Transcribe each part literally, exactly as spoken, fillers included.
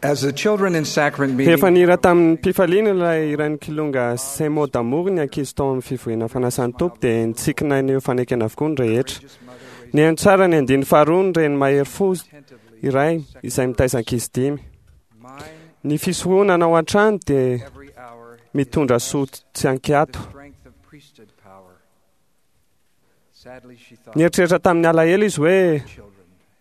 As the children in sacrament meeting, Rehefa nihira tamin'ny mpifaliana ilay hiran'ny kilonga Ces mots d'amour ny ankizy tao amin'ny fivoriana fanasan'ny Tompo dia nitsikina ny fanekena avokoa ny rehetra. Nihaino tsara ny andininy faharoa ny reny mahery fo iray izay mitaiza ankizy dimy. mine Ny fisoronana ao an-trano dia every hour mitondra soa tsy ankiato. the strength of priesthood power. Sadly, she thought, Nieritreritra tamin'ny alahelo izy hoe children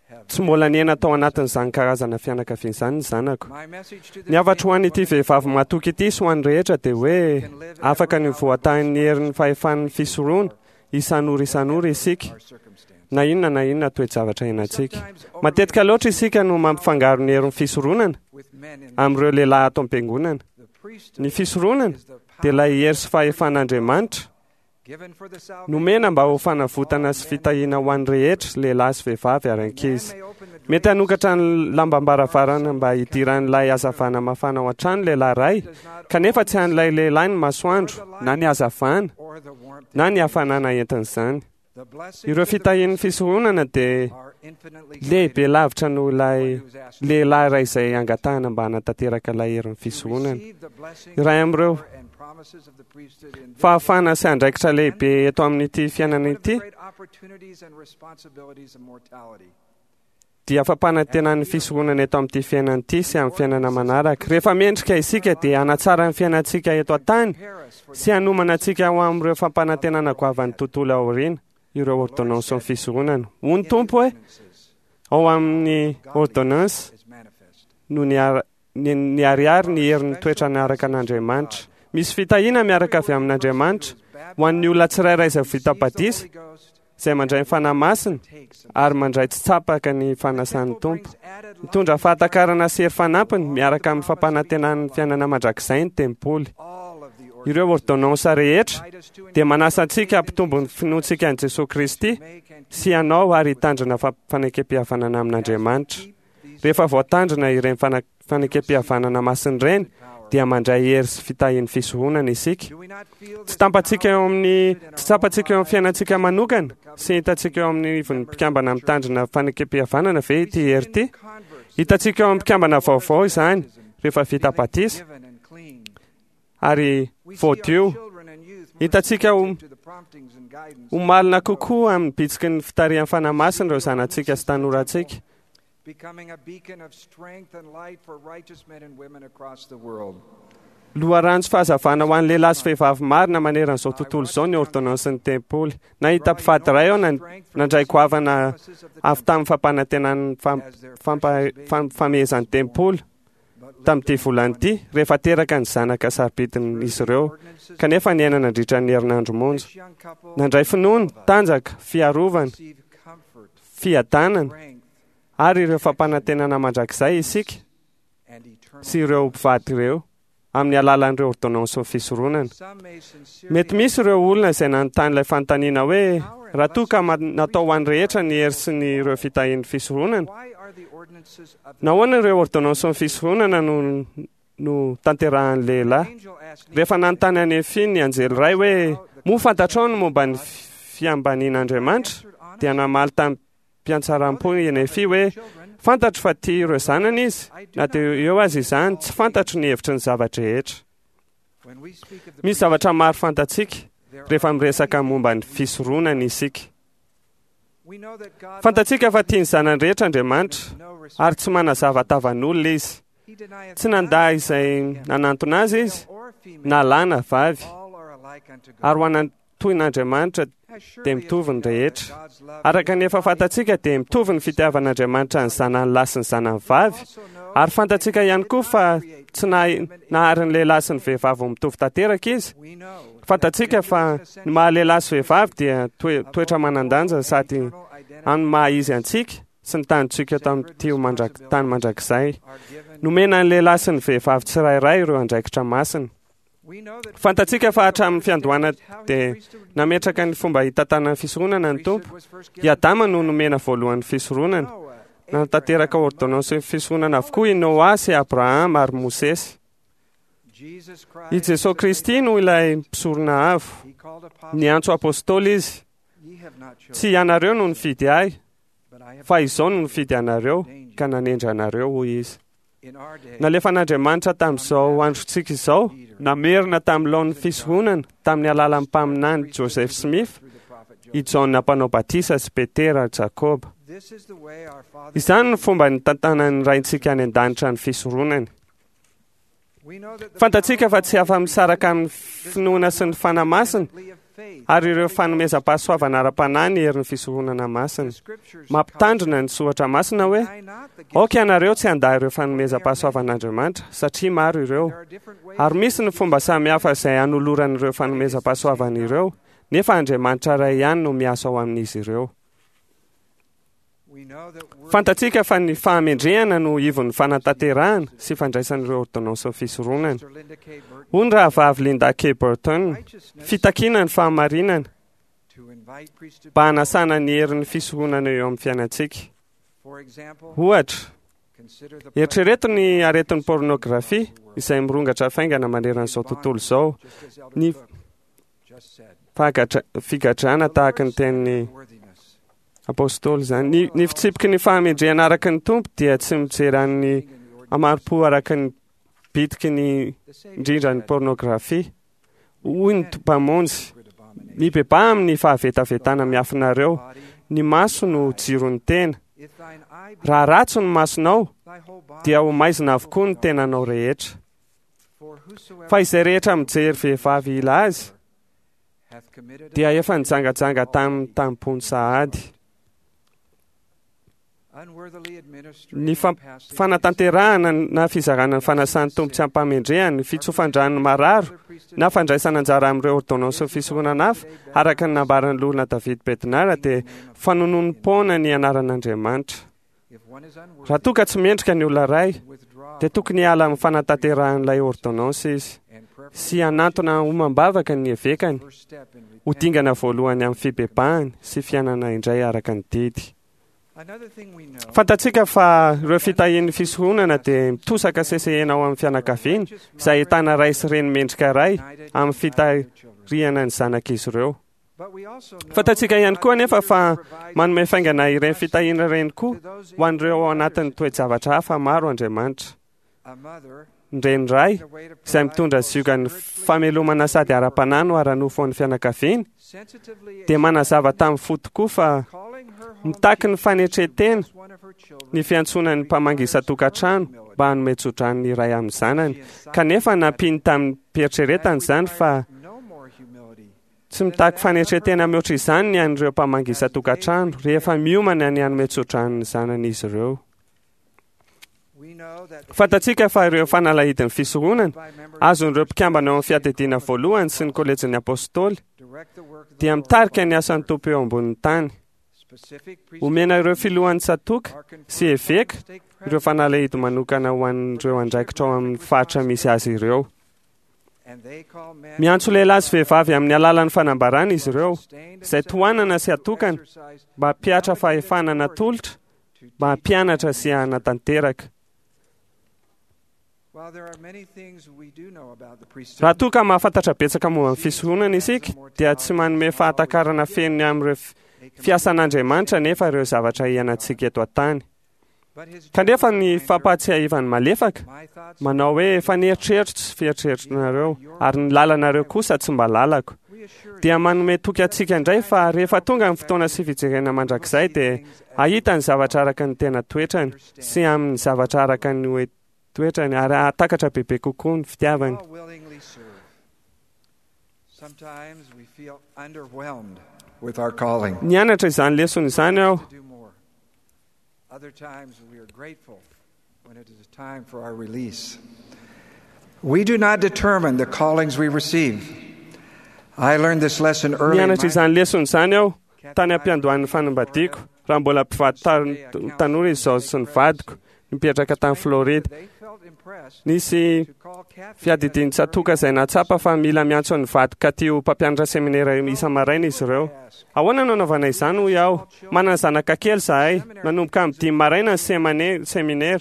have. tsy mbola niaina tao anatin'izany karazana fianakaviana izany ny zanako. My message to this Ny hafatro ho an'ity woman vehivavy matoky ity sy ho an'ny rehetra dia hoe afaka ny voatahin'ny herin'ny fahefan'ny fisorona isan'ora isan'ora isika our circumstance. na inona na inona toe-javatra iainantsika. Matetika loatra isika no mampifangaro ny herin'ny fisoronana With men in amin'ireo lehilahy ato am-piangonana. the priesthood Ny fisoronana is the dia ilay hery sy fahefan'Andriamanitra given for the salvation nomena mba ho fanavotana sy fitahiana ho an'ny rehetra, lehilahy sy vehivavy ary ankizy. may open the Mety hanokatra ny lambam-baravarana mba hidiran'ilay hazavana mafana ao an-trano lehilahy iray, kanefa tsy an'ilay lehilahy ny masoandro, na ny hazavana, or the warmth. na ny hafanana entin'izany. The blessings Ireo of the fitahian'ny fisoronana dia are infinitely lehibe lavitra noho ilay who's asked lehilahy iray izay angatahana mba hanatanteraka ilay herin'ny fisoronana. receive the blessings Iray amin'ireo and promises of the priesthood in this fahafahana sy andraikitra lehibe eto amin'ity fiainana one of the ity great opportunities and responsibilities of mortality. dia fampanantenan'ny fisoronana eto amin'ity fiainana ity sy amin'ny fiainana manaraka. Rehefa mendrika isika dia hanatsara ny fiainantsika eto an-tany Prepare us for sy hanomana antsika ho amin'ireo fampanantenana goavan'ny tontolo aoriana, ireo ordonnance ny fisoronana. Hoy ny Tompo hoe ordinances ao amin'ny ordonnance is manifest. no niara- ny- niharihary ny herin'ny toetra niaraka an'Andriamanitra. Misy fitahiana miaraka avy amin'Andriamanitra ho an'ny olona tsirairay izay vita batisa, Holy Ghost izay mandray ny Fanahy Masina takes ary mandray tsy tsapaka ny fanasan'ny Tompo. brings added Mitondra fahatakarana sy hery fanampiny miaraka amin'ny fampanantenan'ny fiainana mandrakizay ny tempoly. all of the Ireo ordonnance rehetra ordinance us to dia manasa antsika hampitombo ny finoantsika an'i Jesosy Kristy make and sy hanao ary hitandrina fa- fanekem-pihavanana amin'Andriamanitra. Rehefa voatandrina ireny fana- fanekem-pihavanana masina ireny dia mandray hery sy fitahian'ny fisoronana isika. do we not feel Tsy tampantsika eo amin'ny tsy tsapantsika eo amin'ny fiainantsika manokana sy hitantsika eo amin'ny ivon'ny mpikambana mitandrina fanekem-pihavanana ve ity hery ity? converts Hitantsika eo amin'ny mpikambana vaovao izany rehefa vita batisa given and clean? ary We see our voadio. children and youth more Hitantsika ho sensitive to the promptings and guidance ho malina kokoa amin'ny bitsiky ny fitarihan'ny Fanahy Masina ireo zanatsika sy tanorantsika. becoming a beacon of strength and light for righteous men and women across the world. Loharano sy fahazavana ho an'ny lehilahy sy vehivavy marina maneran'izao tontolo izao ny ordonnance ny tempoly. Nahita mpivady iray aho nan- nandray goavana avy tamin'ny fampanantenan'ny fam- fampa- fam- famehezan'ny tempoly tamin'ity volana ity rehefa teraka ny zanaka sarobidin'izy ireo kanefa niaina nandritra ny herinandro monja. This young couple Nandray finoana, tanjaka, fiarovana, receive comfort, fiadanana strength, ary ireo fampanantenana mandrakizay isika and eternal. sy ireo mpivady ireo amin'ny alalan'ireo ordonnance fisoronana. Some may sincerely Mety misy ireo olona izay nanontany ilay fanontaniana hoe raha toa ka ma- natao ho an'ny rehetra ny hery sy ny ireo fitahian'ny fisoronana, Why are the ordinances of the nahoana ireo ordonnance fisoronana no no tanterahan'ny lehilahy? angel asked Rehefa nanontany an'i Nefy ny anjely iray hoe moa fantatrao ny momba ny fiambanian'Andriamanitra, dia namaly tamim-piantsaram-po i Nefy hoe fantatro fa tia ireo zanany izy, na dia eo aza izany, tsy fantatro ny hevitry ny zava-drehetra. When we speak of the Misy zavatra maro fantatsika there rehefa are miresaka momba ny fisoronana isika. We know that God Fantatsika fa tia ny zanany rehetra Andriamanitra no respect. ary tsy manazava tavan'olona izy. He denieth Tsy nandà none, izay nanantona azy izy, male or female, na lahy na vavy, all are alike unto God. ary ho anan- toy n'Andriamanitra As surely dia as mitovy we ny know that rehetra. God's love Araka ny efa fantatsika dia mitovy ny fitiavan'Andriamanitra ny zanany lahy sy ny zanany vavy, also know ary fantatsika ihany koa fa tsy nahay- nahary ny lehilahy sy ny vehivavy ho mitovy tanteraka izy. we know Fantatsika fa ny maha lehilahy sy vehivavy dia toe- toetra manan-danja sady amin'ny maha izy antsika sy ny tanintsika tamin'ity ho mandrak- tany mandrakizay. are given. Nomena ny lehilahy sy ny vehivavy tsirairay ireo andraikitra masina. We know that Fantatsika fa hatramin'ny fiandohana how his dia priesthood nametraka ny fomba hitantanana ny fisoronana ny Tompo. was first I given Adama no nomena voalohan'ny fisoronana. Noah, Nanatanteraka ordonnance fisoronana avokoa i Noa sy Abrahama ary Mosesy. Jesus Christ I Jesosy Kristy no ilay mpisorona avo. He called apostles, Niantso apôstôly izy. Ye have not chosen, Tsy ianareo no nifidy ahy, but I have fa izao no nifidy anareo ka nanendry anareo, hoy izy. Nalefan'Andriamanitra tamin'izao androntsika izao, namerina tamin'ny laon'ny fisoronana tamin'ny alalan'ny mpaminany Joseph Smith, i Jaona mpanao batisa sy Petera ary Jakoba. Izany no fomba nitantanan'ny Raintsika any an-danitra ny fisoronany. Fantatsika fa tsy afa-misaraka amin'ny finoana sy ny Fanahy Masina ary ireo fanomezam-pahasoavana ara-panahy ny herin'ny fisoronana masina. Mampitandrina ny soratra masina hoe aoka ianareo tsy handà ireo fanomezam-pahasoavan'Andriamanitra satria maro ireo. Ary misy ny fomba samihafa izay hanoloran'ireo fanomezam-pahasoavana ireo, nefa Andriamanitra iray ihany no miasa ao amin'izy ireo. Fantatsika fa ny fahamendrehana no ivon'ny fanatanterahana sy fandraisan'ireo ordonnances fisoronana. Hoy ny rahavavy Linda K. Burton, fitakiana ny fahamarinana mba hanasana ny herin'ny fisoronana eo amin'ny fiainantsika. Ohatra, eritrereto ny aretin'ny pornografia izay mirongatra faingana manerana izao tontolo izao, ny figadrana tahaka ny tenin'ny apôstôly izany. Ny, ny fitsipiky ny fahamendrehana araka ny Tompo dia tsy mijery an'ny hamari-po araka ny bitiky ny indrindra ny pornografia. Hoy ny Mpamonjy, mibebaha amin'ny fahavetavetana miafinareo. Ny maso no jiron'ny tena. Raha ratsy ny masonao, dia ho maizina avokoa ny tenanao rehetra. Fa izay rehetra mijery vehivavy hila azy, dia efa nijangajanga tamin'ny tampony sahady. Ny fanatanterahana na fizarana ny fanasan'ny Tompo tsy ampamendrehana, ny fitsofan-drano mararo na fandraisana anjara amin'ireo ordonnances fisoronana hafa, araka ny nambaran'ny loholona David Bednar, dia fanononom-poana ny anaran'Andriamanitra. Raha toa ka tsy mendrika ny olona iray, dia tokony hiala amin'ny fanatanterahan'ilay ordonnance izy sy hanantona homam-bavaka ny evekany ho dingana voalohany amin'ny fibebahany sy fiainana indray araka ny didy. Fantatsika fa ireo fitahian'ny fisoronana dia mitosaka sesehena ao amin'ny fianakaviana izay ahitana ray sy reny mendrika iray amin'ny fitarihana ny zanak'izy ireo. Fantatsika ihany koa anefa fa manome faingana ireny fitahiana ireny koa ho an'ireo ao anatin'ny toe-javatra hafa maro Andriamanitra. Ny reny iray izay mitondra ziogan'ny famelomana sady ara-panahy no ara-nofo an'ny fianakaviany dia manazava tamin'ny fo tokoa fa mitaky ny fanetren-tena ny fiantsoana ny mpamangy isan-tokantrano mba hanome tsodrano ny iray amin'ny zanany, kanefa nampiany tamin'ny fieritreretana izany fa tsy mitaky fanetren-tena mihoatra izany ny an'ireo mpamangy isan-tokantrano rehefa miomana ny hanome tsodrano ny zanany izy ireo. Fantatsika fa ireo fanalahidin'ny fisoronana azon'ireo mpikambana ao amin'ny fiadidiana voalohany sy ny kolejin'ny apôstôly dia mitarika ny asan'ny Tompo eo ambonin'ny tany. Omena ireo filohan'ny tsatòka sy eveka ireo fanalahidy manokana ho an'ireo andraikitra ao amin'ny faritra misy azy ireo. Miantso lehilahy sy vehivavy amin'ny alalan'ny fanambarana izy ireo, izay tohanana sy atokana mba hampihatra fahefana natolotra mba hampianatra sy hanatanteraka. Raha toa ka mahafantatra betsaka momba ny fisoronana isika, dia tsy manome fahatakarana feno ny amin'ireo fiasan'Andriamanitra nefa ireo zavatra iainantsika eto an-tany. Kanefa ny fampahatsiahivany malefaka manao hoe efa nieritreritro tsy fieritreritrinareo ary ny lalanareo kosa tsy mba lalako, dia manome toky antsika indray fa rehefa tonga ny fotoana sy fijerena mandrakizay dia hahita ny zavatra araka ny tena toetrany sy amin'ny zavatra araka ny hoe toetrany ary hahatakatra bebe kokoa ny fitiavany. Nianatra izany lesona izany aho. Other times we are grateful when it is time for our release. We do not determine the callings we receive. I learned this lesson early. Nianatra izany lesona izany aho tany am-piandohan'ny fanambadiako, raha mbola mpivady tanora izy izao sy ny vadiko nipetraka tany Florida. Nisy fiadidian'ny tsatòka izay nahatsapa fa mila miantso ny vadiko Katy ho mpampianatra seminera isa-maraina izy ireo. Ahoana no anaovana izany, hoy aho? Manana zanaka kely izahay, manomboka amin'ny dimy maraina ny seminera,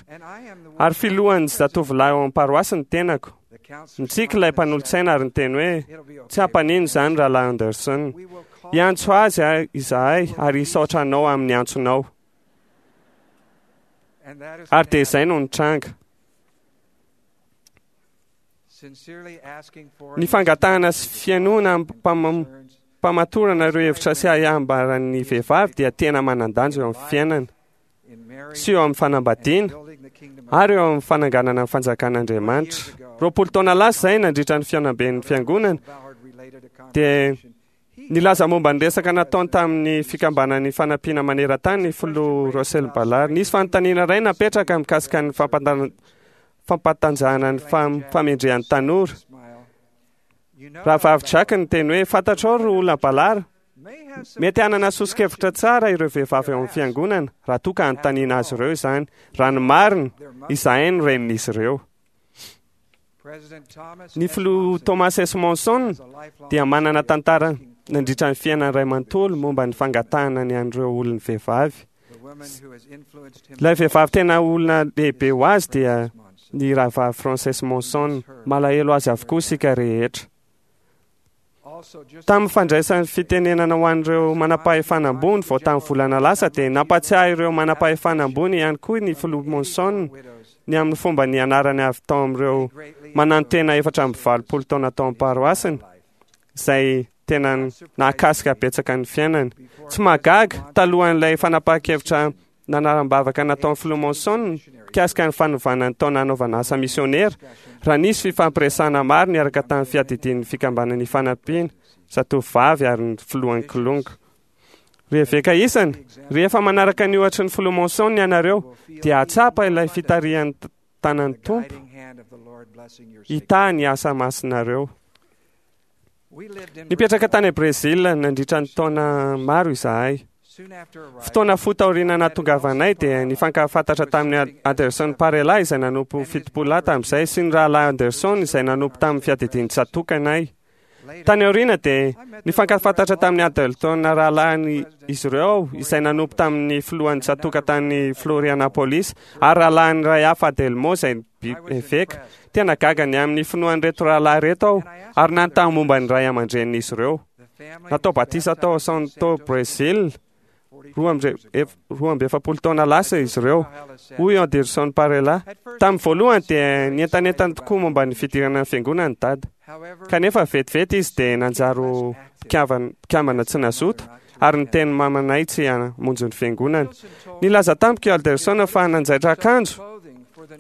ary filohan'ny zatovolahy ao amin'ny paroasy ny tenako. Nitsiky ilay mpanolotsaina ary niteny hoe tsy hampanino izany Rahalahy Anderson. Hiantso azy izahay ary hisaotra anao amin'ny antsonao. Ary dia izay no nitranga. Ny fangatahana sy fihainoana am-pamatorana ireo hevitra sy ahiahy vehivavy dia tena manan-danja eo amin'ny fiainana sy eo amin'ny fanambadiana ary eo amin'ny fananganana ny fanjakan'Andriamanitra. Roapolo taona lasa izay nandritra ny fihaonamben'ny fiangonana dia nilaza momba ny resaka nataony tamin'ny fikambanan'ny fanampiana maneran-tany ny filoha Russell Ballard. Nisy fanontaniana iray napetraka mikasika ny fampatanjahana ny famendrehan'ny tanora. Rahavavy Jack niteny hoe fantatrao ry olona Ballard, mety hanana soso-kevitra tsara ireo vehivavy ao amin'ny fiangonana raha toa ka anontaniana azy ireo izany. Raha ny marina, izahay no renin'izy ireo. Ny filoha Thomas S. Monson dia manana tantara nandritra ny fiainany iray manontolo momba ny fangatahana ny an'ireo olon'ny vehivavy. Ilay vehivavy tena olona lehibe ho azy dia ny rahavavy Frances Monson. Malahelo azy avokoa isika rehetra. Tamin'ny fandraisan'ny fitenenana ho an'ireo manam-pahefana ambony vao tamin'ny volana lasa dia nampatsiahy ireo manam-pahefana ambony ihany koa ny filoha Monson ny amin'ny fomba nianarany avy tao amin'ireo manantena efatra amby valopolo taona tao am-paroasiny izay tena nahakasika betsaka ny fiainany. Tsy mahagaga talohan'ilay fanapahan-kevitra nanaram-bavaka nataon'ny filoha Monson mikasika ny fanovana ny taona hanaovana asa misionera raha nisy fifampiresahana maro niaraka tamin'ny fiadidian'ny fikambanan'ny fanampiana zatovovavy ary ny filohan'ny Kilonga. Ry eveka isany, rehefa manaraka ny ohatry ny filoha Monson ianareo dia hahatsapa ilay fitarihan'ny tanan'ny Tompo hitahy ny asa masinareo. Nipetraka tany Brezila nandritra ny taona maro izahay. Fotoana fohy taoriana nahatongavanay dia nifankahafantatra tamin'ny Anderson Parela izay nanompo fitopolo lahy tamin'izay sy ny rahalahy Anderson izay nanompo tamin'ny fiadidian'ny tsatokanay. Tany aoriana dia nifankahafantatra tamin'ny Adelton rahalahiny izy ireo izay nanompo tamin'ny filohan'ny tsatoka tany Florianapolis ary rahalahiny iray hafa Adelmo izay eveka. Tena gaga ny amin'ny finoan'ireto rahalahy ireto aho ary nanontany momba ny ray aman-drenin'izy ireo. Natao batisa tao Santo Brésil roa amby efapolo taona lasa izy ireo, hoy Anderson Parela. Tamin'ny voalohany dia nientanentana tokoa momba ny fidirana ny fiangonana ny dada. Kanefa vetivety izy dia nanjary mpikambana tsy nazoto ary niteny mamanay tsy hamonjy ny fiangonana. Nilaza tamiko i Anderson fa nanjaitra akanjo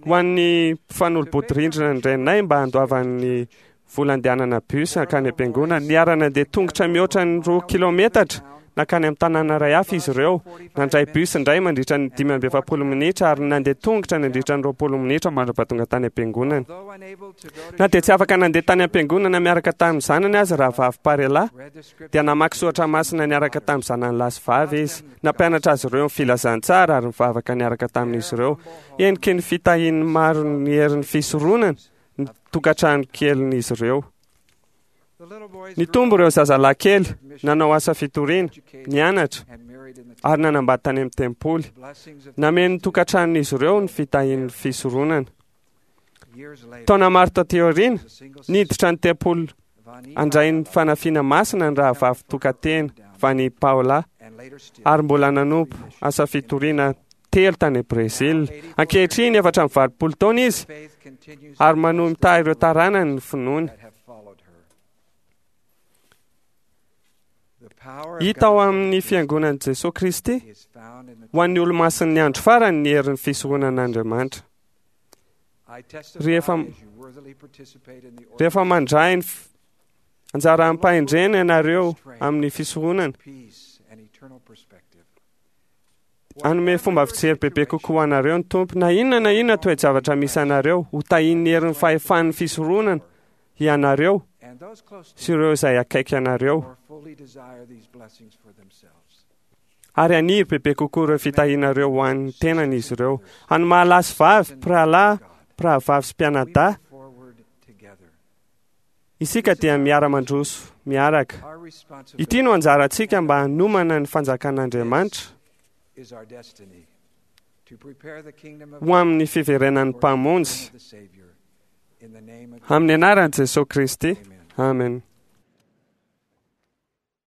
ho an'ny mpifanolo-bodirindrina ny reninay mba handoavan'ny vola andehanana bus hankany am-piangonana. Niara-nandeha tongotra mihoatra ny roa kilometatra nankany amin'ny tanàna iray hafa izy ireo. Nandray bus indray mandritra ny dimy amby efapolo minitra ary nandeha tongotra nandritra ny roapolo minitra mandra-pahatonga tany am-piangonana. Na dia tsy afaka nandeha tany am-piangonana miaraka tamin'ny zanany aza rahavavy Parela dia namaky soratra masina niaraka tamin'ny zanany lahy sy vavy izy. Nampianatra azy ireo ny filazantsara ary nivavaka niaraka tamin'izy ireo. Heniky ny fitahian'ny maro ny herin'ny fisoronana ny tokantrano kelin'izy ireo. Nitombo ireo zazalahy kely nanao asa fitoriana, nianatra ary nanambady tany amin'ny tempoly. Nameno ny tokantranon'izy ireo ny fitahian'ny fisoronana. Taona maro taty aoriana, niditra ny tempoly handray ny fanafiana masina ny rahavavy tokantena Vani Paola ary mbola nanompo asa fitoriana telo tany Brezila. Ankehitriny efatra amby valopolo taona izy ary manohy mitahy ireo taranany ny finoany. Hita ao amin'ny fiangonan'i Jesoa Kristy ho an'ny olomasin'ny andro farany ny herin'ny fisoronan'Andriamanitra. Rehefa rehefa mandray ny anjara ampahendrena ianareo amin'ny fisoronana, hanome fomba fijery bebe kokoa anareo ny Tompo. Na inona na inona toe-javatra misy anareo, ho tahian'ny herin'ny fahefan'ny fisoronana ianareo sy ireo izay akaiky anareo. Ary haniry bebe kokoa ireo fitahianareo ho an'ny tenany izy ireo. Any mahalahy sy vavy, mpirahalahy, mpirahavavy sy mpianadahy, isika dia miara-mandroso miaraka. Ity no anjarantsika mba hanomana ny fanjakan'Andriamanitra ho amin'ny fiverenan'ny Mpamonjy. Amin'ny anaran'i Jesoa Kristy. Amen.